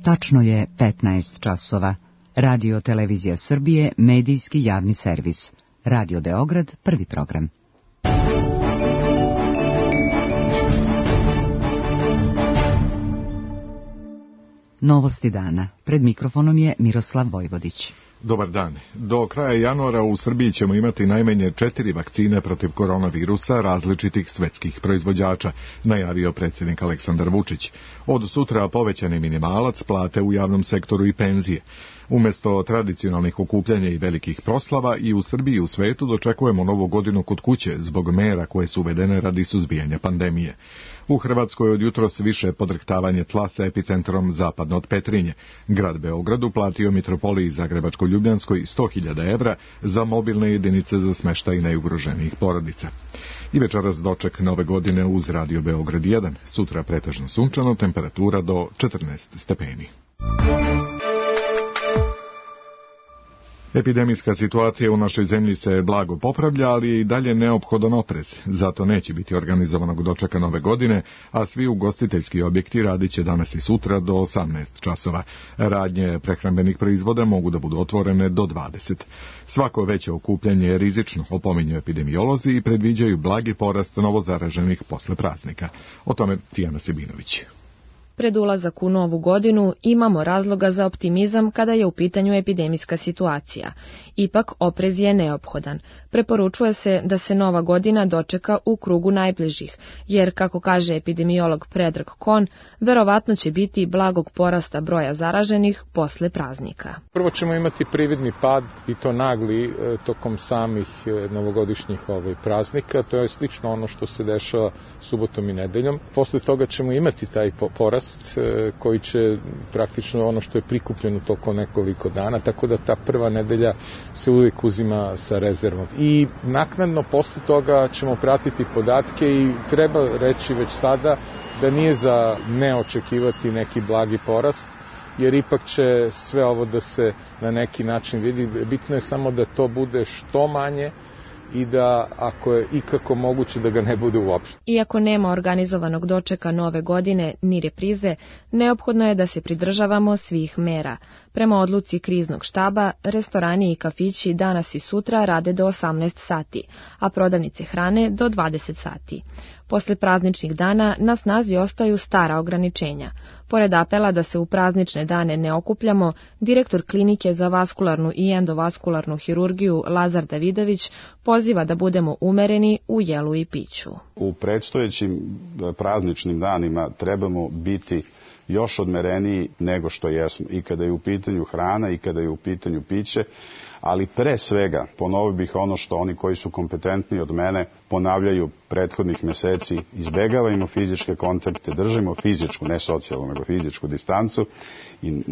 Tačno je 15 časova. Radio Televizija Srbije, medijski javni servis. Radio Beograd, prvi program. Novosti dana. Pred mikrofonom je Miroslav Vojvodić. Dobar dan. Do kraja januara u Srbiji ćemo imati najmanje 4 vakcine protiv koronavirusa različitih svetskih proizvođača, najavio predsjednik Aleksandar Vučić. Od sutra povećani minimalac, plate u javnom sektoru i penzije. Umjesto tradicionalnih okupljanja i velikih proslava, i u Srbiji i u svetu dočekujemo novu godinu kod kuće zbog mera koje su uvedene radi suzbijanja pandemije. U Hrvatskoj od jutros više podrhtavanje tla sa epicentrom zapadno od Petrinje. Grad Beograd uplatio Mitropoliji Zagrebačko-Ljubljanskoj 100.000 evra za mobilne jedinice za smještaj najugroženijih porodica. I večeras doček nove godine uz Radio Beograd 1. Sutra pretežno sunčano, temperatura do 14 stepeni. Epidemijska situacija u našoj zemlji se blago popravlja, ali je i dalje neophodan oprez. Zato neće biti organizovanog dočeka nove godine, a svi ugostiteljski objekti radit će danas i sutra do 18 časova. Radnje prehrambenih proizvoda mogu da budu otvorene do 20. Svako veće okupljanje je rizično, opominju epidemiolozi i predviđaju blagi porast novozaraženih posle praznika. O tome Tijana Sebinović. Pred ulazak u novu godinu imamo razloga za optimizam kada je u pitanju epidemijska situacija. Ipak oprez je neophodan. Preporučuje se da se nova godina dočeka u krugu najbližih, jer, kako kaže epidemiolog Predrag Kon, verovatno će biti blagog porasta broja zaraženih posle praznika. Prvo ćemo imati prividni pad, i to nagli, tokom samih novogodišnjih praznika. To je slično ono što se dešava subotom i nedeljom. Posle toga ćemo imati taj porast koji će praktično ono što je prikupljeno tokom nekoliko dana, tako da ta prva nedelja se uvijek uzima sa rezervom. I naknadno posle toga ćemo pratiti podatke i treba reći već sada da nije za neočekivati neki blagi porast, jer ipak će sve ovo da se na neki način vidi. Bitno je samo da to bude što manje i da, ako je ikako moguće, da ga ne bude uopšte. Iako nema organizovanog dočeka nove godine ni reprize, neophodno je da se pridržavamo svih mera. Prema odluci kriznog štaba, restorani i kafići danas i sutra rade do 18 sati, a prodavnice hrane do 20 sati. Posle prazničnih dana na snazi ostaju stara ograničenja. Pored apela da se u praznične dane ne okupljamo, direktor klinike za vaskularnu i endovaskularnu hirurgiju Lazar Davidović poziva da budemo umereni u jelu i piću. U predstojećim prazničnim danima trebamo biti još odmereniji nego što jesmo, i kada je u pitanju hrana i kada je u pitanju piće, ali pre svega ponovio bih ono što oni koji su kompetentni od mene ponavljaju prethodnih meseci: izbegavajmo fizičke kontakte, držimo fizičku, ne socijalnu, nego fizičku distancu i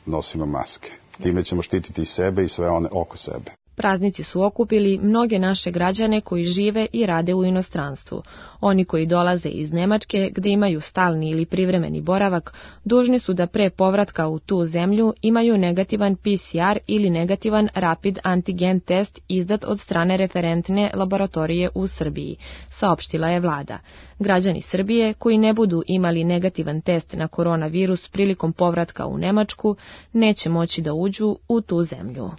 nosimo maske. Time ćemo štititi sebe i sve one oko sebe. Praznici su okupili mnoge naše građane koji žive i rade u inostranstvu. Oni koji dolaze iz Nemačke, gde imaju stalni ili privremeni boravak, dužni su da pre povratka u tu zemlju imaju negativan PCR ili negativan rapid antigen test izdat od strane referentne laboratorije u Srbiji, saopštila je vlada. Građani Srbije koji ne budu imali negativan test na koronavirus prilikom povratka u Nemačku neće moći da uđu u tu zemlju.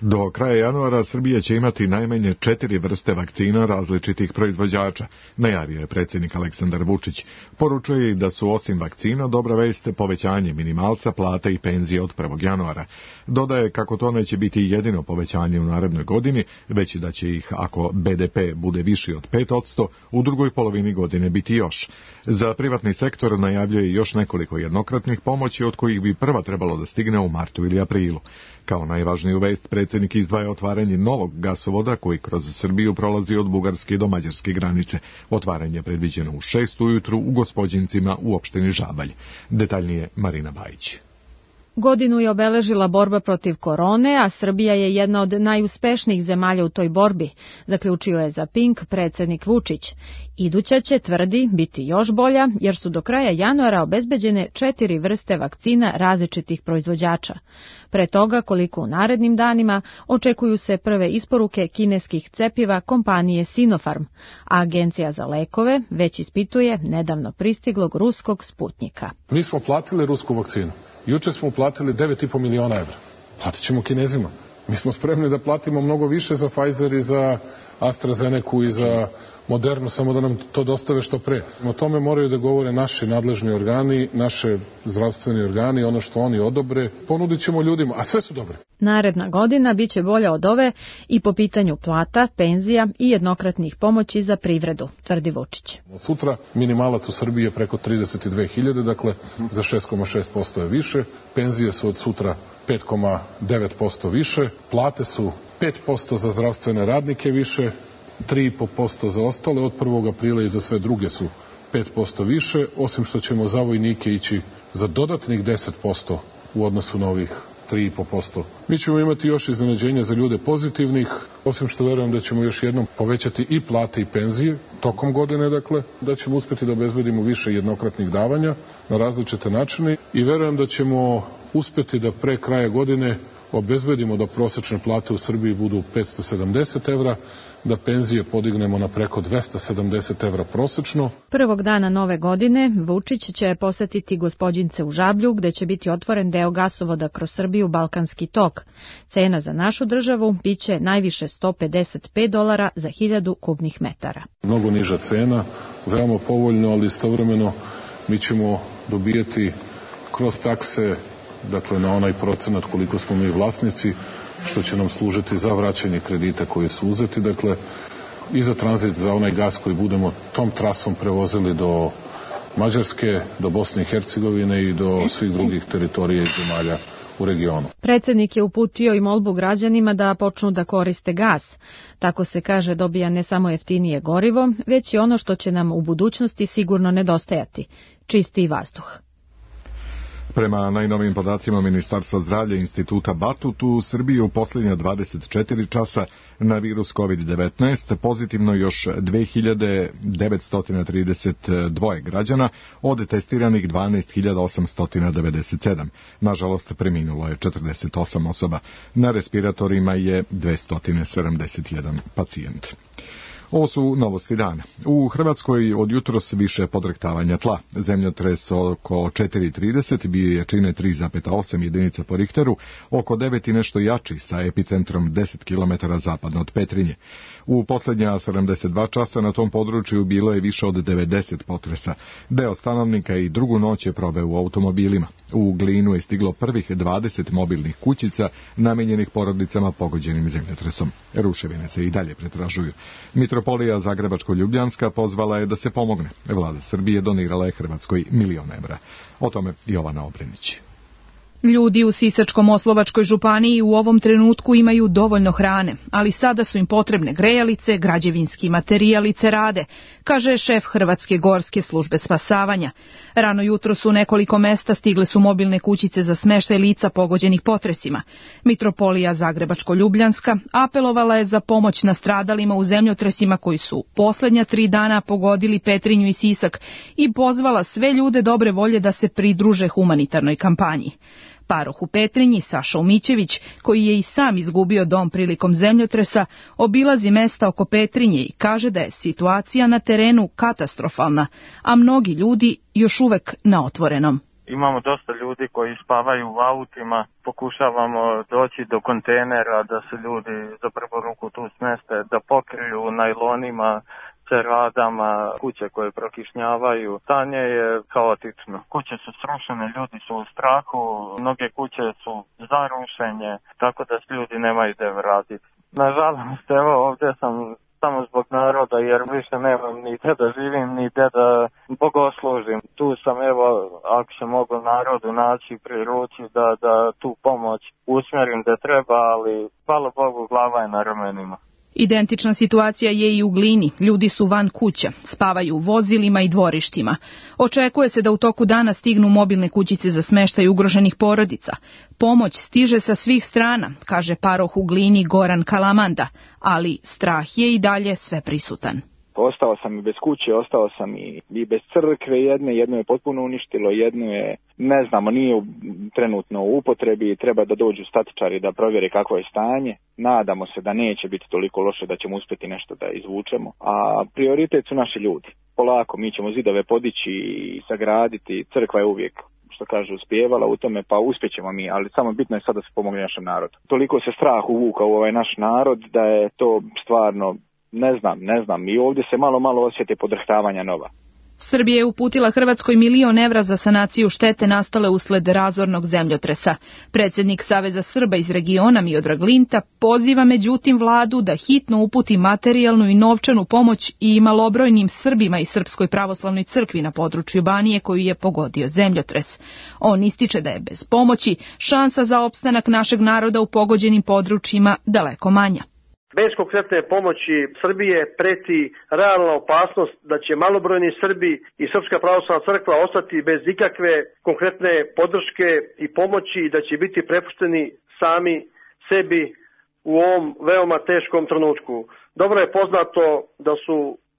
Do kraja januara Srbija će imati najmanje 4 vrste vakcina različitih proizvođača, najavio je predsjednik Aleksandar Vučić. Poručuje i da su osim vakcina dobra vest povećanje minimalca, plata i penzije od 1. januara. Dodaje kako to neće biti jedino povećanje u narednoj godini, već i da će ih, ako BDP bude viši od 5%, u drugoj polovini godine biti još. Za privatni sektor najavljuje još nekoliko jednokratnih pomoći, od kojih bi prva trebalo da stigne u martu ili aprilu. Kao najvažniju vest predsjednik izdvaja otvaranje novog gasovoda koji kroz Srbiju prolazi od bugarske do mađarske granice. Otvaranje je predviđeno u 6 ujutru u Gospođincima u opštini Žabalj. Detaljnije Marina Bajić. Godinu je obeležila borba protiv korone, a Srbija je jedna od najuspešnijih zemalja u toj borbi, zaključio je za Pink predsjednik Vučić. Iduća će, tvrdi, biti još bolja, jer su do kraja januara obezbeđene 4 vrste vakcina različitih proizvođača. Pre toga, koliko u narednim danima, očekuju se prve isporuke kineskih cepiva kompanije Sinopharm, a Agencija za lekove već ispituje nedavno pristiglog ruskog Sputnjika. Mi smo platili rusku vakcinu. Juče smo uplatili 9,5 miliona evra. Platit ćemo Kinezima. Mi smo spremni da platimo mnogo više za Pfizer i za AstraZenecu i za Modernu, samo da nam to dostave što pre. O tome moraju da govore naši nadležni organi, naše zdravstveni organi, ono što oni odobre. Ponudit ćemo ljudima, a sve su dobre. Naredna godina biće bolja od ove i po pitanju plata, penzija i jednokratnih pomoći za privredu, tvrdi Vučić. Od sutra minimalac u Srbiji je preko 32.000, dakle za 6,6% je više. Penzije su od sutra 5,9% više. Plate su 5% za zdravstvene radnike više, 3,5% za ostale, od 1. aprila i za sve druge su 5% više, osim što ćemo za vojnike ići za dodatnih 10% u odnosu na ovih 3,5%. Mi ćemo imati još iznenađenja za ljude pozitivnih, osim što verujem da ćemo još jednom povećati i plate i penzije tokom godine, dakle, da ćemo uspjeti da obezbedimo više jednokratnih davanja na različite načine i verujem da ćemo uspjeti da pre kraja godine obezbedimo da prosečne plate u Srbiji budu 570 evra, da penzije podignemo na preko 270 evra prosečno. Prvog dana nove godine Vučić će posetiti Gospođince u Žablju, gde će biti otvoren deo gasovoda kroz Srbiju Balkanski tok. Cena za našu državu biće najviše $155 za 1000 kubnih metara. Mnogo niža cena, veoma povoljno, ali istovremeno mi ćemo dobijeti kroz takse, dakle na onaj procenat koliko smo mi vlasnici, što će nam služiti za vraćanje kredita koji su uzeti, dakle i za tranzit za onaj gas koji budemo tom trasom prevozili do Mađarske, do Bosne i Hercegovine i do svih drugih teritorija i zemalja u regionu. Predsjednik je uputio i molbu građanima da počnu da koriste gas. Tako se kaže dobija ne samo jeftinije gorivo, već i ono što će nam u budućnosti sigurno nedostajati, čistiji vazduh. Prema najnovijim podacima Ministarstva zdravlja Instituta Batut, u Srbiji u posljednja 24 časa na virus COVID-19 pozitivno još 2932 građana, od testiranih 12.897. Nažalost, preminulo je 48 osoba. Na respiratorima je 271 pacijent. Ovo su novosti dana. U Hrvatskoj od jutros više podrhtavanja tla. Zemljotres oko 4,30 bio jačine 3,8 jedinica po Richteru, oko 9 i nešto jači sa epicentrom 10 km zapadno od Petrinje. U posljednja 72 časa na tom području bilo je više od 90 potresa. Deo stanovnika i drugu noć je proveo u automobilima. U Glinu je stiglo prvih 20 mobilnih kućica namenjenih porodicama pogođenim zemljotresom. Ruševine se i dalje pretražuju. Mitropolija Zagrebačko-Ljubljanska pozvala je da se pomogne. Vlada Srbije donirala je Hrvatskoj $1 milion. O tome Jovana Obrenić. Ljudi u Sisačko-Moslavačkoj županiji u ovom trenutku imaju dovoljno hrane, ali sada su im potrebne grejalice, građevinski materijal i cerade, kaže šef Hrvatske gorske službe spasavanja. Rano jutro su u nekoliko mesta stigle su mobilne kućice za smeštaj lica pogođenih potresima. Mitropolija Zagrebačko-Ljubljanska apelovala je za pomoć nastradalima u zemljotresima koji su posljednja 3 dana pogodili Petrinju i Sisak i pozvala sve ljude dobre volje da se pridruže humanitarnoj kampanji. Paroh u Petrinji, Saša Umićević, koji je i sam izgubio dom prilikom zemljotresa, obilazi mesta oko Petrinje i kaže da je situacija na terenu katastrofalna, a mnogi ljudi još uvek na otvorenom. Imamo dosta ljudi koji spavaju u autima, pokušavamo doći do kontejnera da se ljudi za prvu ruku tu smeste, da pokriju najlonima, ceradama, kuće koje prokišnjavaju. Stanje je kaotično. Kuće su srušene, ljudi su u strahu, mnoge kuće su za rušenje, tako da se ljudi nemaju gde vratiti. Nažalost, evo ovdje sam samo zbog naroda, jer više nemam ni gde da živim, ni gde da bogoslužim. Tu sam, evo, ako se mogu narodu naći pri ruci da tu pomoć usmjerim gde treba, ali hvala Bogu, glava je na ramenima. Identična situacija je i u Glini. Ljudi su van kuća, spavaju u vozilima i dvorištima. Očekuje se da u toku dana stignu mobilne kućice za smeštaj ugroženih porodica. Pomoć stiže sa svih strana, kaže paroh u Glini Goran Kalamanda, ali strah je i dalje sve prisutan. Ostao sam i bez kuće, ostao sam i bez crkve jedno je potpuno uništilo, jedno je, ne znamo, nije trenutno u upotrebi, treba da dođu statičari da provjere kakvo je stanje. Nadamo se da neće biti toliko loše da ćemo uspjeti nešto da izvučemo, a prioritet su naši ljudi. Polako, mi ćemo zidove podići i sagraditi, crkva je uvijek, što kaže, uspijevala u tome, pa uspjećemo mi, ali samo bitno je sad da se pomogne našem narodu. Toliko se strah uvuka u ovaj naš narod da je to stvarno, ne znam, i ovdje se malo osjete podrhtavanja nova. Srbija je uputila Hrvatskoj €1.000.000 za sanaciju štete nastale usled razornog zemljotresa. Predsjednik Saveza Srba iz regiona Miodrag Linta poziva međutim vladu da hitno uputi materijalnu i novčanu pomoć i malobrojnim Srbima i Srpskoj pravoslavnoj crkvi na području Banije koju je pogodio zemljotres. On ističe da je bez pomoći šansa za opstanak našeg naroda u pogođenim područjima daleko manja. Bez konkretne pomoći Srbije preti realna opasnost da će malobrojni Srbi i Srpska pravoslavna crkva ostati bez ikakve konkretne podrške i pomoći i da će biti prepušteni sami sebi u ovom veoma teškom trenutku. Dobro je poznato da su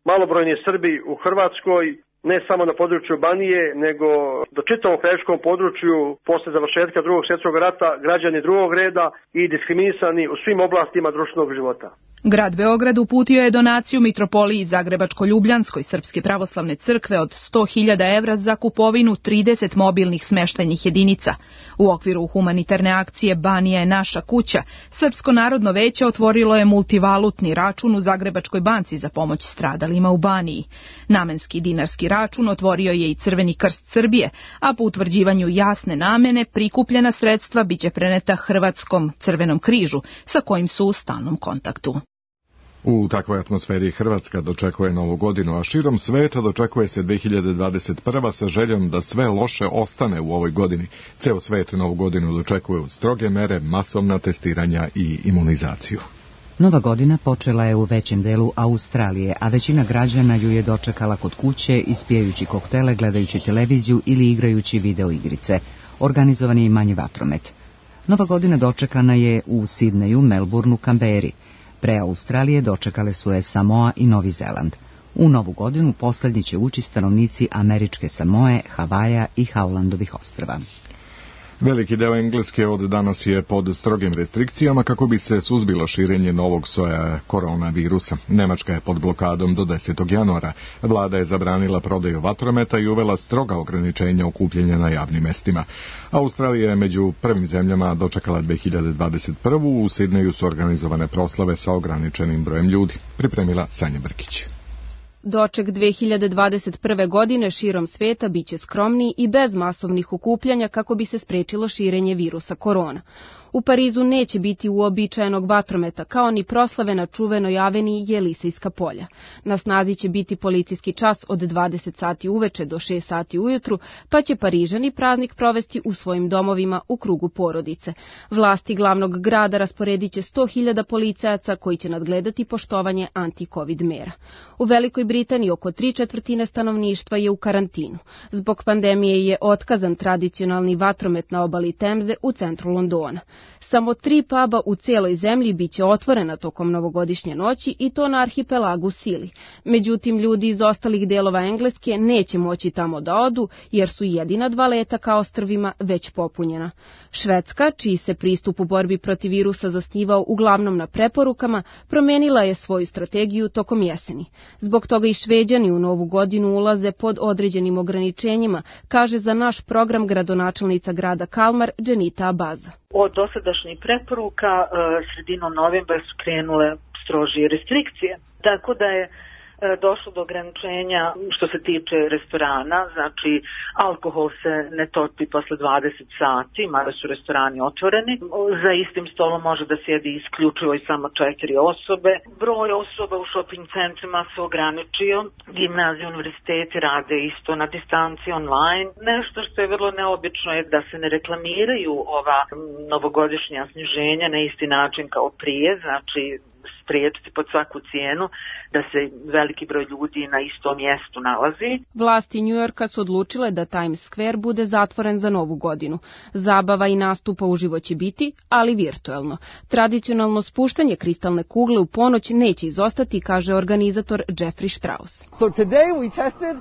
malobrojni Srbi u Hrvatskoj, ne samo na području Banije, nego do čitavom krajiškom području posle završetka Drugog svjetskog rata građani drugog reda i diskriminisani u svim oblastima društvenog života. Grad Beograd uputio je donaciju mitropoliji Zagrebačko-Ljubljanskoj Srpske pravoslavne crkve od 100.000 evra za kupovinu 30 mobilnih smeštajnih jedinica. U okviru humanitarne akcije Banija je naša kuća, Srpsko narodno veće otvorilo je multivalutni račun u Zagrebačkoj banci za pomoć stradalima u Baniji. Namenski dinarski račun otvorio je i Crveni krst Srbije, a po utvrđivanju jasne namene prikupljena sredstva biće preneta Hrvatskom Crvenom križu, sa kojim su u stalnom kontaktu. U takvoj atmosferi Hrvatska dočekuje Novu godinu, a širom sveta dočekuje se 2021. sa željom da sve loše ostane u ovoj godini. Ceo svet Novu godinu dočekuju stroge mere, masovna testiranja i imunizaciju. Nova godina počela je u većem delu Australije, a većina građana ju je dočekala kod kuće, ispijajući koktele, gledajući televiziju ili igrajući video igrice. Organizovan je i manji vatromet. Nova godina dočekana je u Sidneju, Melbourneu, Kamberi. Pre Australije dočekale su je Samoa i Novi Zeland. U Novu godinu posljednji će ući stanovnici Američke Samoe, Havaja i Haulandovih ostrva. Veliki deo Engleske od danas je pod strogim restrikcijama kako bi se suzbilo širenje novog soja koronavirusa. Nemačka je pod blokadom do 10. januara. Vlada je zabranila prodaju vatrometa i uvela stroga ograničenja okupljanja na javnim mestima. Australija je među prvim zemljama dočekala 2021. U Sidneju su organizovane proslave sa ograničenim brojem ljudi. Pripremila Sanja Brkić. Doček 2021. godine širom sveta biće skromniji i bez masovnih okupljanja kako bi se sprečilo širenje virusa korona. U Parizu neće biti uobičajenog vatrometa, kao ni proslave na čuvenoj aveniji Jelisejska polja. Na snazi će biti policijski čas od 20 sati uveče do 6 sati ujutru, pa će Parižani praznik provesti u svojim domovima u krugu porodice. Vlasti glavnog grada rasporedit će 100.000 policajaca koji će nadgledati poštovanje anti-covid mera. U Velikoj Britaniji oko 3/4 stanovništva je u karantinu. Zbog pandemije je otkazan tradicionalni vatromet na obali Temze u centru Londona. Samo 3 puba u cijeloj zemlji biće otvorena tokom novogodišnje noći i to na arhipelagu Sili. Međutim, ljudi iz ostalih dijelova Engleske neće moći tamo da odu jer su jedina 2 leta ka ostrvima već popunjena. Švedska, čiji se pristup u borbi protiv virusa zasnivao uglavnom na preporukama, promenila je svoju strategiju tokom jeseni. Zbog toga i Šveđani u Novu godinu ulaze pod određenim ograničenjima, kaže za naš program gradonačelnica grada Kalmar Dženita Abaza. Od dosadašnjih preporuka sredinom novembra su krenule strožije restrikcije. Tako da je došlo do ograničenja što se tiče restorana, znači alkohol se ne topi posle 20 sati, mada su restorani otvoreni. Za istim stolom može da sjedi isključivo i samo 4 osobe. Broj osoba u shopping centrima se ograničio. Gimnazije, univerziteti rade isto na distanci online. Nešto što je vrlo neobično je da se ne reklamiraju ova novogodišnja sniženja na isti način kao prije, znači spriječiti pod svaku cijenu da se veliki broj ljudi na istom mjestu nalazi. Vlasti Njujorka su odlučile da Times Square bude zatvoren za Novu godinu. Zabava i nastupa uživo će biti, ali virtuelno. Tradicionalno spuštanje kristalne kugle u ponoć neće izostati, kaže organizator Jeffrey Strauss.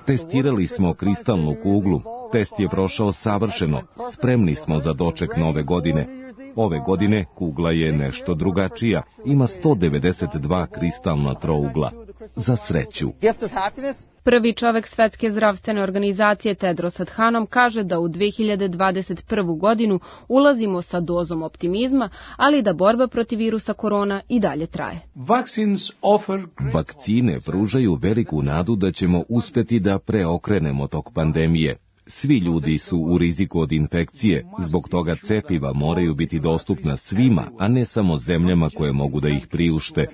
Testirali smo kristalnu kuglu. Test je prošao savršeno. Spremni smo za doček Nove godine. Ove godine kugla je nešto drugačija. Ima 192 kristalna trougla. Za sreću. Prvi čovek Svetske zdravstvene organizacije Tedros Adhanom kaže da u 2021. godinu ulazimo sa dozom optimizma, ali da borba protiv virusa korona i dalje traje. Vakcine pružaju veliku nadu da ćemo uspjeti da preokrenemo tok pandemije. Svi ljudi su u riziku od infekcije, zbog toga cepiva moraju biti dostupna svima, a ne samo zemljama koje mogu da ih priušte.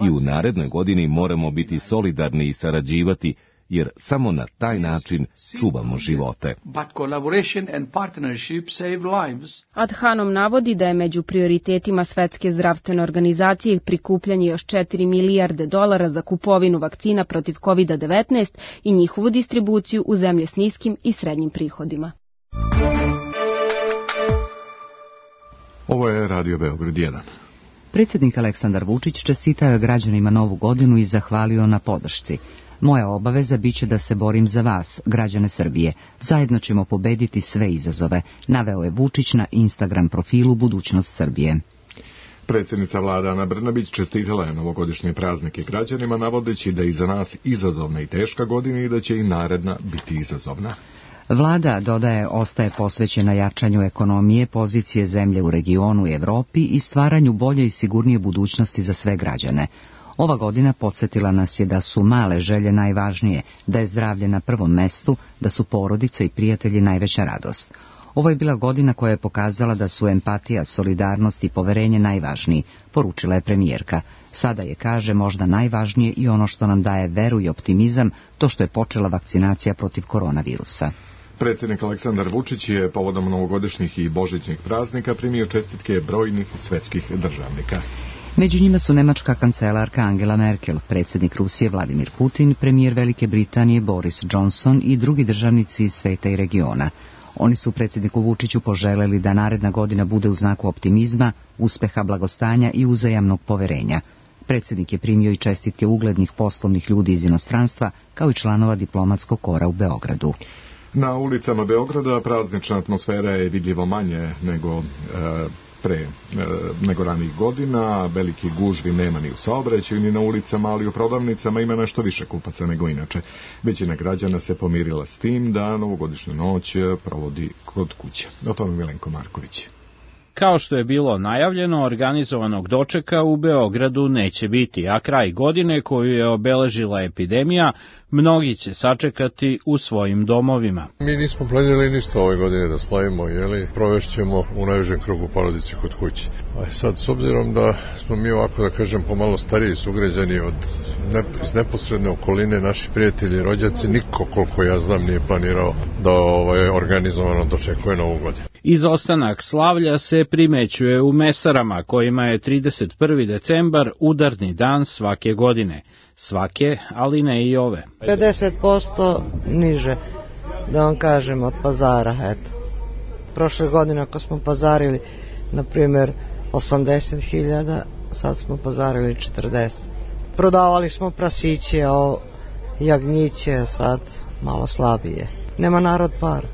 I u narednoj godini moramo biti solidarni i sarađivati, jer samo na taj način čuvamo živote. Adhanom navodi da je među prioritetima Svetske zdravstvene organizacije prikupljanje još 4 milijarde dolara za kupovinu vakcina protiv COVID-19 i njihovu distribuciju u zemlje s niskim i srednjim prihodima. Ovo je Radio Beograd 1. Predsjednik Aleksandar Vučić čestitao je građanima Novu godinu i zahvalio na podršci. Moja obaveza biće da se borim za vas, građane Srbije. Zajedno ćemo pobediti sve izazove, naveo je Vučić na Instagram profilu Budućnost Srbije. Predsjednica vlade Ana Brnabić čestitala je novogodišnje praznike građanima, navodeći da je iza nas izazovna i teška godina i da će i naredna biti izazovna. Vlada, dodaje, ostaje posvećena jačanju ekonomije, pozicije zemlje u regionu i Evropi i stvaranju bolje i sigurnije budućnosti za sve građane. Ova godina podsjetila nas je da su male želje najvažnije, da je zdravlje na prvom mestu, da su porodice i prijatelji najveća radost. Ovo je bila godina koja je pokazala da su empatija, solidarnost i poverenje najvažniji, poručila je premijerka. Sada je, kaže, možda najvažnije i ono što nam daje veru i optimizam, to što je počela vakcinacija protiv koronavirusa. Predsjednik Aleksandar Vučić je povodom novogodišnjih i božićnih praznika primio čestitke brojnih svetskih državnika. Među njima su nemačka kancelarka Angela Merkel, predsjednik Rusije Vladimir Putin, premijer Velike Britanije Boris Johnson i drugi državnici iz sveta i regiona. Oni su predsjedniku Vučiću poželeli da naredna godina bude u znaku optimizma, uspeha, blagostanja i uzajamnog poverenja. Predsjednik je primio i čestitke uglednih poslovnih ljudi iz inostranstva, kao i članova diplomatskog kora u Beogradu. Na ulicama Beograda praznična atmosfera je vidljivo manje nego ranih godina. Veliki gužvi nema ni u saobraćaju ni na ulicama, ali u prodavnicama ima nešto više kupaca nego inače. Većina građana se pomirila s tim da novogodišnju noć provodi kod kuće. O tome Milenko Marković. Kao što je bilo najavljeno, organizovanog dočeka u Beogradu neće biti, a kraj godine koju je obeležila epidemija, mnogi će sačekati u svojim domovima. Mi nismo planirali ništa ove godine da slavimo, provešćemo u najužem krugu porodice kod kuće. A sad, s obzirom da smo mi ovako, da kažem, pomalo stariji sugrađani iz neposredne okoline, naši prijatelji, rođaci, niko, koliko ja znam, nije planirao da organizovano dočekuje Novu godinu. Izostanak slavlja se primećuje u mesarama, kojima je 31. decembar udarni dan svake godine. Svake, ali ne i ove. 50% niže, da vam kažem, od pazara, eto. Prošle godine ako smo pazarili, na primjer, 80.000, sad smo pazarili 40. Prodavali smo prasiće, jagnjiće, sad malo slabije. Nema narod par,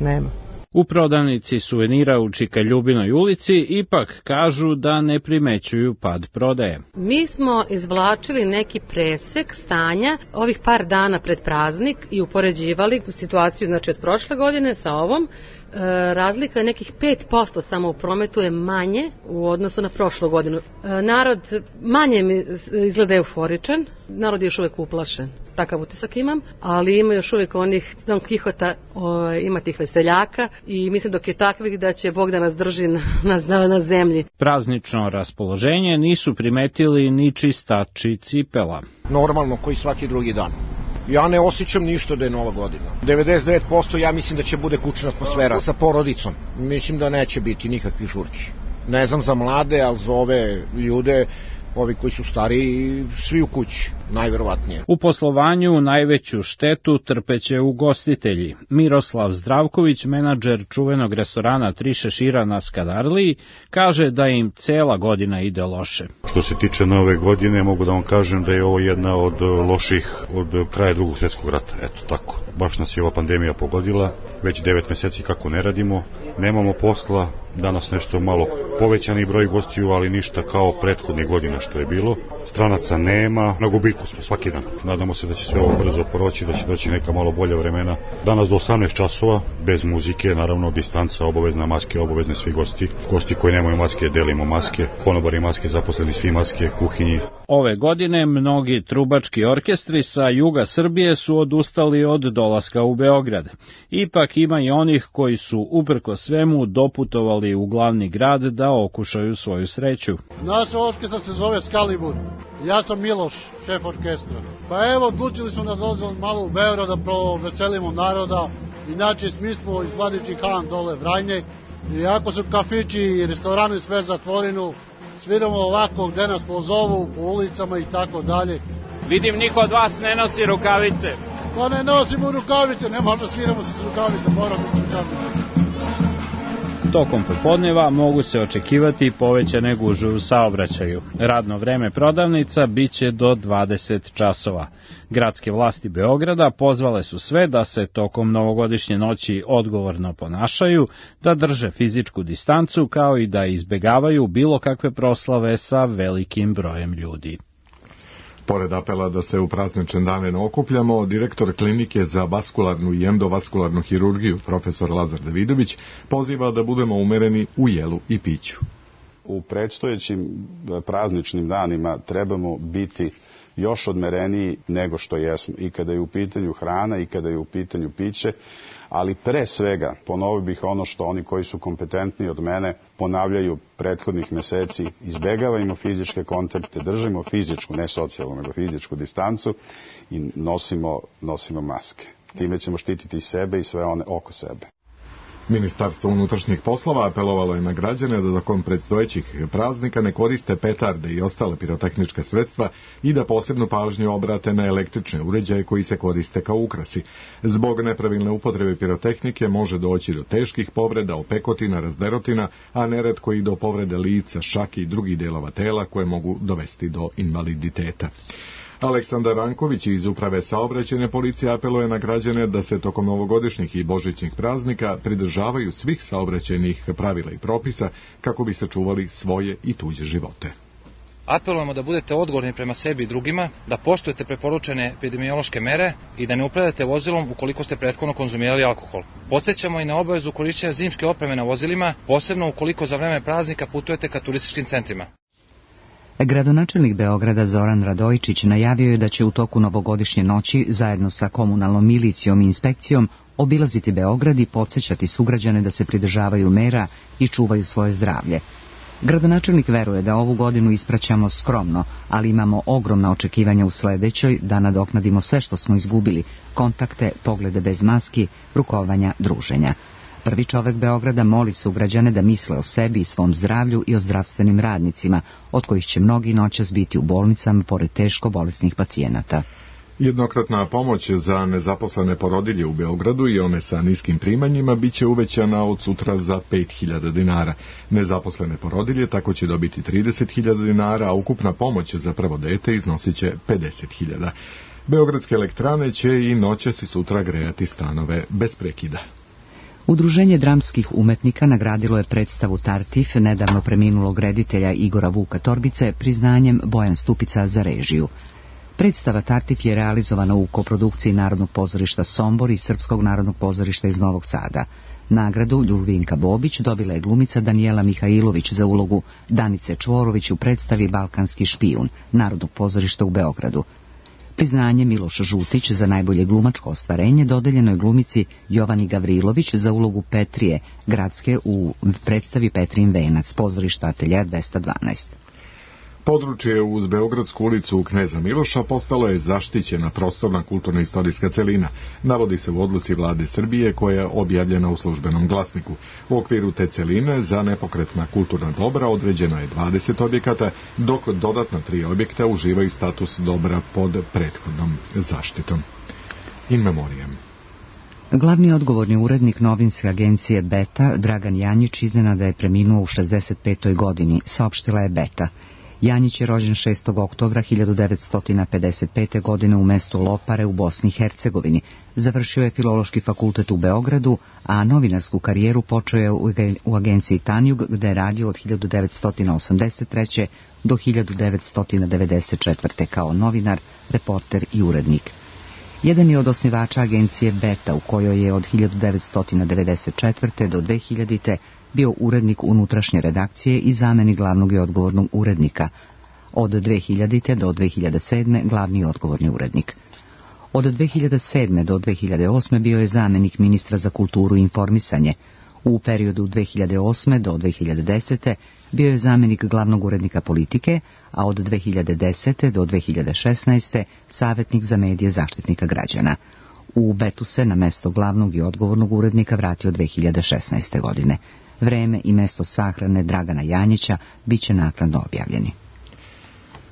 nema. U prodavnici suvenira u Čika Ljubinoj ulici ipak kažu da ne primećuju pad prodaje. Mi smo izvlačili neki presek stanja ovih par dana pred praznik i upoređivali situaciju, znači, od prošle godine sa ovom. Razlika je nekih 5% samo u prometu je manje u odnosu na prošlu godinu. Narod manje mi izgleda euforičan, narod je još uvijek uplašen. Takav utisak imam, ali ima još uvijek onih Don Kihota, ima tih veseljaka i mislim dok je takvih da će Bog da nas drži na zemlji. Praznično raspoloženje nisu primetili ni čistači cipela. Normalno, koji svaki drugi dan. Ja ne osjećam ništa da je Nova godina. 99% ja mislim da će bude kućna atmosfera sa porodicom. Mislim da neće biti nikakvih žurki. Ne znam za mlade, ali za ove ljude ovi koji su stariji, svi u kući, najverovatnije. U poslovanju najveću štetu trpeće ugostitelji. Miroslav Zdravković, menadžer čuvenog restorana Tri šešira na Skadarliji, kaže da im cela godina ide loše. Što se tiče nove godine, mogu da vam kažem da je ovo jedna od loših od kraja Drugog svjetskog rata. Eto tako. Baš nas je ova pandemija pogodila. Već 9 meseci kako ne radimo, nemamo posla, danas nešto malo povećani broj gostiju, ali ništa kao prethodnih godina što je bilo. Stranaca nema, na gubitku smo svaki dan. Nadamo se da će sve ovo brzo proći, da će doći neka malo bolja vremena. Danas do 18 časova, bez muzike, naravno distanca, obavezna maske, obavezne svi gosti. Gosti koji nemaju maske, delimo maske, konobari maske, zaposleni svi maske, kuhinji. Ove godine mnogi trubački orkestri sa juga Srbije su odustali od dolaska u Beograd. Ipak ima i onih koji su uprko svemu doputovali u glavni grad da okušaju svoju sreću. Naša orkestra se zove Skalibur. Ja sam Miloš, šef orkestra. Pa evo, odlučili smo da dolazimo malo u Beograd da proveselimo naroda. Inače, mi smo iz Vladičnih Han dole Vrajne. Iako su kafići i restorani sve zatvoreno, sviramo ovako gde nas pozovu, po ulicama i tako dalje. Vidim, niko od vas ne nosi rukavice. Pa ne nosimo rukavice, ne možda sviramo se s rukavice, moramo s rukavice. Tokom popodneva mogu se očekivati povećane gužve u saobraćaju. Radno vreme prodavnica biće do 20 časova. Gradske vlasti Beograda pozvale su sve da se tokom novogodišnje noći odgovorno ponašaju, da drže fizičku distancu kao i da izbegavaju bilo kakve proslave sa velikim brojem ljudi. Pored apela da se u praznične dane ne okupljamo, direktor klinike za vaskularnu i endovaskularnu hirurgiju, profesor Lazar Davidović, poziva da budemo umereni u jelu i piću. U predstojećim prazničnim danima trebamo biti još odmereniji nego što jesmo, i kada je u pitanju hrana i kada je u pitanju piće, ali pre svega ponovio bih ono što oni koji su kompetentni od mene ponavljaju prethodnih meseci: izbegavajmo fizičke kontakte, držimo fizičku, ne socijalnu, nego fizičku distancu i nosimo maske. Time ćemo štititi sebe i sve one oko sebe. Ministarstvo unutrašnjih poslova apelovalo je na građane da tokom predstojećih praznika ne koriste petarde i ostale pirotehnička sredstva i da posebnu pažnju obrate na električne uređaje koji se koriste kao ukrasi. Zbog nepravilne upotrebe pirotehnike može doći do teških povreda, opekotina, razderotina, a neretko i do povrede lica, šake i drugih delova tela koje mogu dovesti do invaliditeta. Aleksandar Ranković iz Uprave saobraćajne policije apeluje na građane da se tokom novogodišnjih i božićnih praznika pridržavaju svih saobraćajnih pravila i propisa kako bi sačuvali svoje i tuđe živote. Apelujemo da budete odgovorni prema sebi i drugima, da poštujete preporučene epidemiološke mere i da ne upravljate vozilom ukoliko ste prethodno konzumirali alkohol. Podsećamo i na obavezu korišćenja zimske opreme na vozilima, posebno ukoliko za vreme praznika putujete ka turističkim centrima. Gradonačelnik Beograda Zoran Radojičić najavio je da će u toku novogodišnje noći zajedno sa komunalnom milicijom i inspekcijom obilaziti Beograd i podsjećati sugrađane da se pridržavaju mera i čuvaju svoje zdravlje. Gradonačelnik veruje da ovu godinu ispraćamo skromno, ali imamo ogromna očekivanja u sledećoj da nadoknadimo sve što smo izgubili: kontakte, poglede bez maski, rukovanja, druženja. Prvi čovek Beograda moli sugrađane da misle o sebi i svom zdravlju i o zdravstvenim radnicima, od kojih će mnogi noćas biti u bolnicama pored teško bolesnih pacijenata. Jednokratna pomoć za nezaposlene porodilje u Beogradu i one sa niskim primanjima biće uvećana od sutra za 5.000 dinara. Nezaposlene porodilje tako će dobiti 30.000 dinara, a ukupna pomoć za prvo dete iznosit će 50.000. Beogradske elektrane će i noćas i sutra grejati stanove bez prekida. Udruženje dramskih umetnika nagradilo je predstavu Tartif nedavno preminulog reditelja Igora Vuka Torbice priznanjem Bojan Stupica za režiju. Predstava Tartif je realizovana u koprodukciji Narodnog pozorišta Sombor i Srpskog narodnog pozorišta iz Novog Sada. Nagradu Ljubinka Bobić dobila je glumica Danijela Mihajlović za ulogu Danice Čvorović u predstavi Balkanski špijun Narodnog pozorišta u Beogradu. Priznanje Miloš Žutić za najbolje glumačko ostvarenje dodeljeno je glumici Jovani Gavrilović za ulogu Petrije Gradske u predstavi Petrijin venac, pozorišta Ateljea 212. Područje uz Beogradsku ulicu Kneza Miloša postalo je zaštićena prostorna kulturno-istorijska celina, navodi se u odluci vlade Srbije koja je objavljena u Službenom glasniku. U okviru te celine za nepokretna kulturna dobra određeno je 20 objekata, dok dodatna 3 objekta uživaju status dobra pod prethodnom zaštitom. In memoriam. Glavni odgovorni urednik novinske agencije Beta, Dragan Janjić, iznenada je preminuo u 65. godini, saopštila je Beta. Janjić je rođen 6. oktobra 1955. godine u mestu Lopare u Bosni i Hercegovini. Završio je Filološki fakultet u Beogradu, a novinarsku karijeru počeo je u agenciji Tanjug, gde je radio od 1983. do 1994. kao novinar, reporter i urednik. Jedan je od osnivača agencije Beta, u kojoj je od 1994. do 2000. bio urednik unutrašnje redakcije i zamenik glavnog i odgovornog urednika. Od 2000. do 2007. glavni i odgovorni urednik. Od 2007. do 2008. bio je zamenik ministra za kulturu i informisanje. U periodu 2008. do 2010. bio je zamenik glavnog urednika politike, a od 2010. do 2016. savjetnik za medije Zaštitnika građana. U Betu se na mesto glavnog i odgovornog urednika vratio 2016. godine. Vreme i mesto sahrane Dragana Janjića bit će naknadno objavljeni.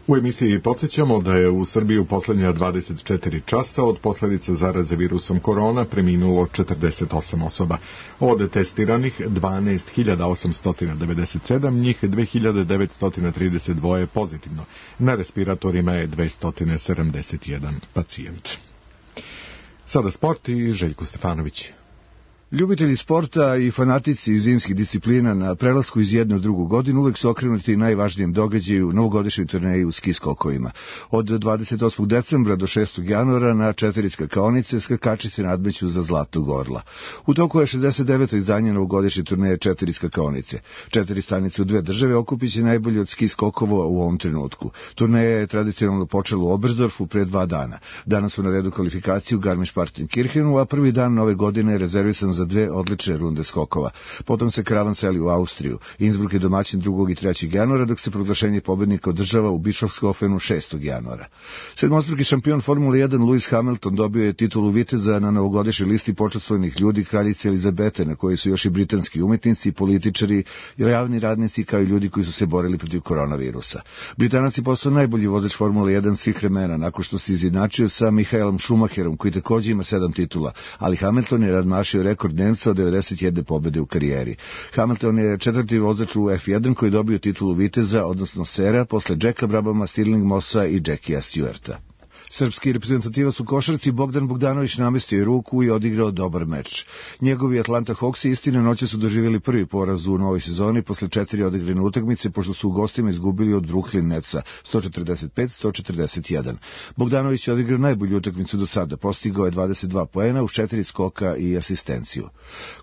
U emisiji podsjećamo da je u Srbiji u posljednja 24 časa od posljedica zaraze virusom korona preminulo 48 osoba. Od testiranih 12.897, njih 2.932 pozitivno. Na respiratorima je 271 pacijent. Sada sport i Željko Stefanović. Ljubitelji sporta i fanatici zimskih disciplina na prelasku iz jedne u drugu godinu uvek su okrenuti najvažnijem događaju novogodišnjoj turneji u ski skokovima. Od 28. decembra do 6. januara na 4 skakaonice skakači se nadmeću za zlatnog orla. U toku je 69. izdanje novogodišnje turneje 4 skakaonice. 4 stanice u 2 države okupit će najbolji od ski skokova u ovom trenutku. Turneja je tradicionalno počela u Oberstdorfu pre 2 dana. Danas su na redu kvalifikacije u Garmisch-Partenkirchenu, a prvi dan nove godine je rezervisan za 2 odlične runde skokova. Potom se karavan seli u Austriju. Innsbruck je domaćin 2. i 3. januara, dok se proglašenje pobednika održava u Bischofshofenu 6. januara. Sedmostruki šampion Formule 1 Lewis Hamilton dobio je titulu viteza na novogodišnjoj listi počastvovanih ljudi kraljice Elizabete, na kojoj su još i britanski umetnici, političari, javni radnici kao i ljudi koji su se borili protiv koronavirusa. Britanac je postao najbolji vozač Formule 1 svih vremena, nakon što se izjednačio sa Michaelom Schumacherom, koji također ima 7 titula, ali Hamilton je nadmašio rekord Nemca od 91 pobjede u karijeri. Hamilton je 4. vozač u F1 koji dobio titulu viteza, odnosno sera, posle Jacka Brabhama, Stirling Mossa i Jackia Stewarta. Srpski reprezentativac u košarci Bogdan Bogdanović namestio je ruku i odigrao dobar meč. Njegovi Atlanta Hawksi istina noće su doživjeli prvi poraz u novoj sezoni posle 4 odigrane utakmice, pošto su u gostima izgubili od Brooklyn Netsa 145-141. Bogdanović je odigrao najbolju utakmicu do sada, postigao je 22 poena uz 4 skoka i asistenciju.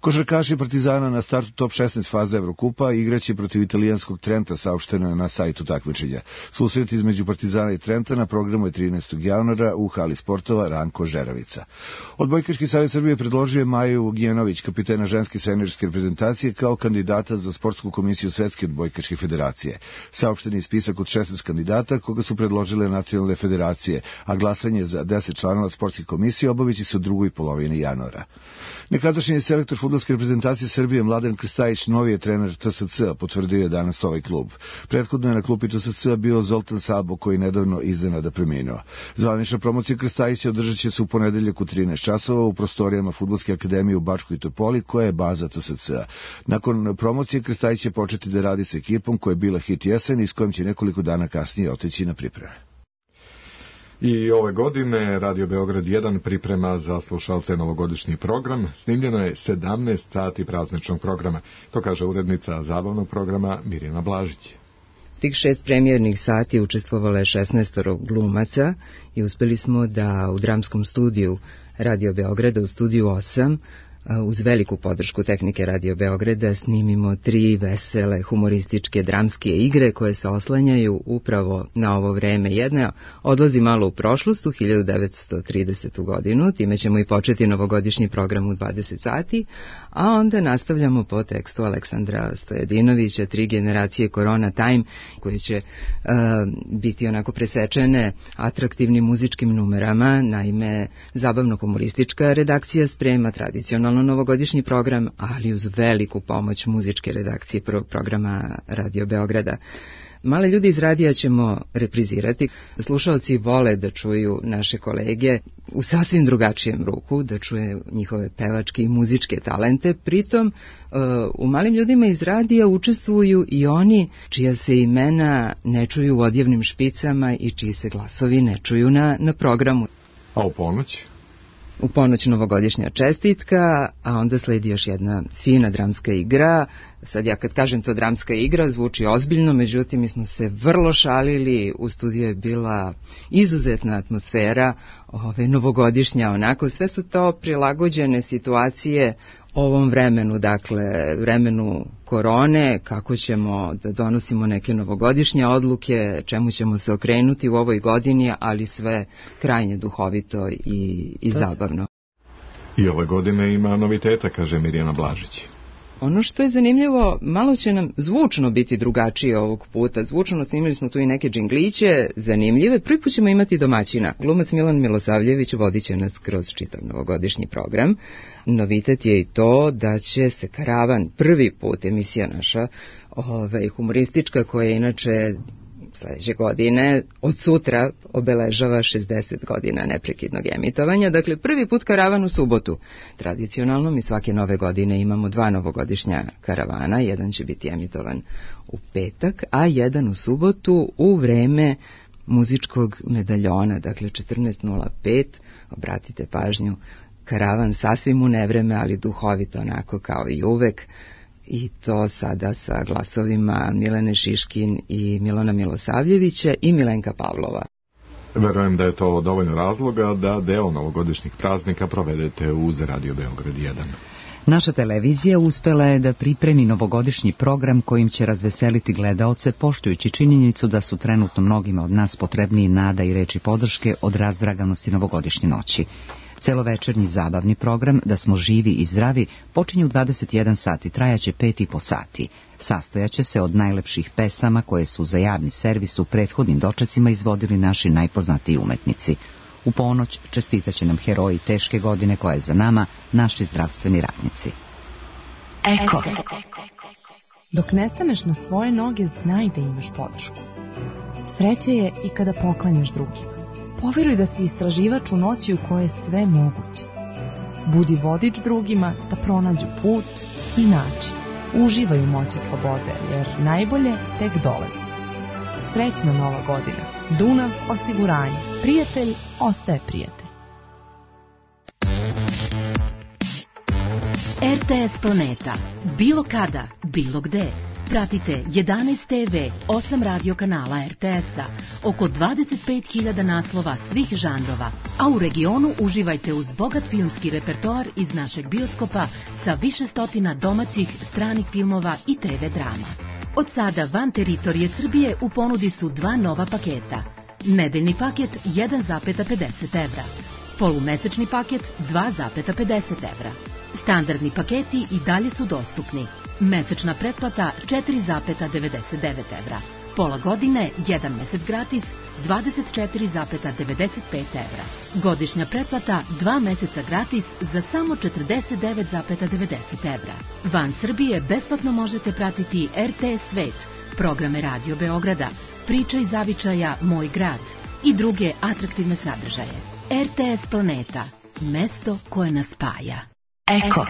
Košarkaši Partizana na startu top 16 faze Evrokupa igraće protiv italijanskog Trenta, saopšteno je na sajtu takmičenja. Susret između Partizana i Trenta na programu je 13. januara u hali sportova Ranko Žeravica. Odbojkaški savez Srbije predložio je Maju Ugljenović, kapitena ženske seniorske reprezentacije, kao kandidata za sportsku komisiju Svetske odbojkaške federacije. Saopšten je spisak od 16 kandidata koga su predložile nacionalne federacije, a glasanje za 10 članova sportske komisije obaviće se u drugoj polovini januara. Nekadašnji selektor fudbalske reprezentacije Srbije Mladen Krstajić, novi je trener TSC, potvrdio je danas ovaj klub. Prethodno je na klupi TSC bio Zoltan Sabo, koji nedavno iznenada preminuo. Zvanična promocija Krstajića održat će se u ponedeljak u 13 časova u prostorijama Fudbalske akademije u Bačkoj Topoli, koja je baza TSC-a. Nakon promocije Krstajić će početi da radi sa ekipom koja je bila hit jesen i s kojom će nekoliko dana kasnije otići na pripreme. I ove godine Radio Beograd 1 priprema za slušalce novogodišnji program. Snimljeno je 17 sati prazničnog programa. To kaže urednica zabavnog programa Mirjana Blažić. Tih 6 premijernih sati učestvovalo je 16 glumaca i uspeli smo da u dramskom studiju Radio Beograda u studiju 8 uz veliku podršku tehnike Radio Beograda snimimo 3 vesele, humorističke, dramske igre koje se oslanjaju upravo na ovo vreme. Jedna odlazi malo u prošlost, u 1930. godinu, time ćemo i početi novogodišnji program u 20 sati, a onda nastavljamo po tekstu Aleksandra Stojadinovića, 3 generacije Corona Time, koje će biti onako presečene atraktivnim muzičkim numerama. Naime, zabavno-humoristička redakcija sprema tradicionalno novogodišnji program, ali uz veliku pomoć muzičke redakcije prvog programa Radio Beograda. Male ljudi iz radija ćemo reprizirati. Slušalci vole da čuju naše kolege u sasvim drugačijem ruku, da čuje njihove pevačke i muzičke talente. Pritom, u Malim ljudima iz radija učestvuju i oni čija se imena ne čuju u odjevnim špicama i čiji se glasovi ne čuju na programu. A u ponoć? U ponoć novogodišnja čestitka, a onda sledi još jedna fina dramska igra. Sad ja kad kažem to dramska igra, zvuči ozbiljno, međutim mi smo se vrlo šalili, u studiju je bila izuzetna atmosfera, novogodišnja onako, sve su to prilagođene situacije ovom vremenu, dakle vremenu korone, kako ćemo da donosimo neke novogodišnje odluke, čemu ćemo se okrenuti u ovoj godini, ali sve krajnje duhovito i zabavno. I ove godine ima noviteta, kaže Mirjana Blažić. Ono što je zanimljivo, malo će nam zvučno biti drugačije ovog puta. Zvučno snimili smo tu i neke džingliće, zanimljive. Prvi put ćemo imati domaćina. Glumac Milan Milosavljević vodit će nas kroz čitav novogodišnji program. Novitet je i to da će se Karavan, prvi put emisija naša, humoristička, koja je inače sledeće godine, od sutra obeležava 60 godina neprekidnog emitovanja. Dakle, prvi put Karavan u subotu. Tradicionalno mi svake nove godine imamo 2 novogodišnja karavana. Jedan će biti emitovan u petak, a jedan u subotu u vreme muzičkog medaljona. Dakle, 14:05. Obratite pažnju, Karavan sasvim u nevreme, ali duhovito onako kao i uvek. I to sada sa glasovima Milene Šiškin i Milana Milosavljevića i Milenka Pavlova. Verujem da je to dovoljno razloga da deo novogodišnjih praznika provedete uz Radio Beograd 1. Naša televizija uspela je da pripremi novogodišnji program kojim će razveseliti gledaoce, poštujući činjenicu da su trenutno mnogima od nas potrebniji nada i reči podrške od razdraganosti novogodišnje noći. Celovečernji zabavni program Da smo živi i zdravi počinje u 21 sat i trajaće 5,5 sati. Sastojaće se od najlepših pesama koje su za javni servis u prethodnim dočecima izvodili naši najpoznatiji umetnici. U ponoć čestitaće nam heroji teške godine koja je za nama, naši zdravstveni radnici. Eko. Dok ne staneš na svoje noge, znaj da imaš podršku. Sreće je i kada poklanjaš drugima. Poveruj da si istraživač u noći u kojoj je sve moguće. Budi vodič drugima da pronađu put i način. Uživaj u moći slobode, jer najbolje tek dolazi. Srećna nova godina. Dunav osiguranje. Prijatelj ostaje prijatelj. RTS Planeta. Bilo kada, bilo gde. Pratite 11 TV, 8 radio kanala RTS-a, oko 25.000 naslova svih žanrova, a u regionu uživajte uz bogat filmski repertoar iz našeg bioskopa sa više stotina domaćih, stranih filmova i TV drama. Od sada van teritorije Srbije u ponudi su 2 nova paketa. Nedeljni paket 1,50 evra, polumesečni paket 2,50 evra. Standardni paketi i dalje su dostupni. Mesečna pretplata 4,99 evra. Pola godine, 1 mesec gratis, 24,95 evra. Godišnja pretplata 2 meseca gratis za samo 49,90 evra. Van Srbije besplatno možete pratiti RTS Svet, programe Radio Beograda, Priča iz zavičaja Moj grad i druge atraktivne sadržaje. RTS Planeta, mesto koje nas spaja. Eko.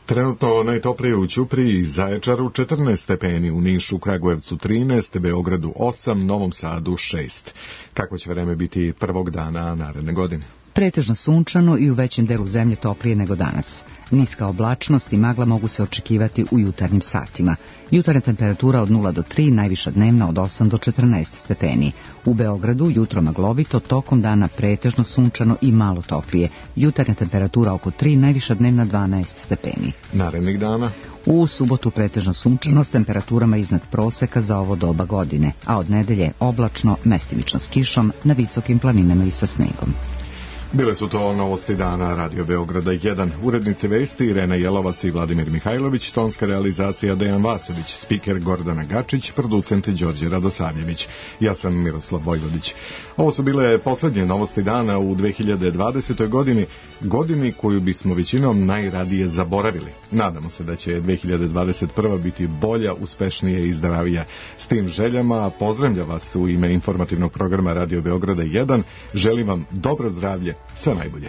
Trenutno najtoplije u Ćupriji i Zaječaru 14 stepeni, u Nišu, Kragujevcu 13, Beogradu 8, Novom Sadu 6. Kako će vreme biti prvog dana naredne godine? Pretežno sunčano i u većem delu zemlje toplije nego danas. Niska oblačnost i magla mogu se očekivati u jutarnjim satima. Jutarnja temperatura od 0 do 3, najviša dnevna od 8 do 14 stepeni. U Beogradu jutro maglovito, tokom dana pretežno sunčano i malo toplije. Jutarnja temperatura oko 3, najviša dnevna 12 stepeni. Narednih dana? U subotu pretežno sunčano s temperaturama iznad proseka za ovo doba godine, a od nedelje oblačno, mestimično s kišom na visokim planinama i sa snegom. Bile su to novosti dana Radio Beograda 1. Urednice vesti Irena Jelovac i Vladimir Mihajlović, tonska realizacija Dejan Vasović, spiker Gordana Gačić, producent Đorđe Radosavljević. Ja sam Miroslav Vojvodić. Ovo su bile poslednje novosti dana u 2020. godini koju bismo većinom najradije zaboravili. Nadamo se da će 2021. biti bolja, uspešnija i zdravija. S tim željama pozdravlja vas u ime informativnog programa Radio Beograda 1. Želim vam dobro zdravlje, sve najbolje.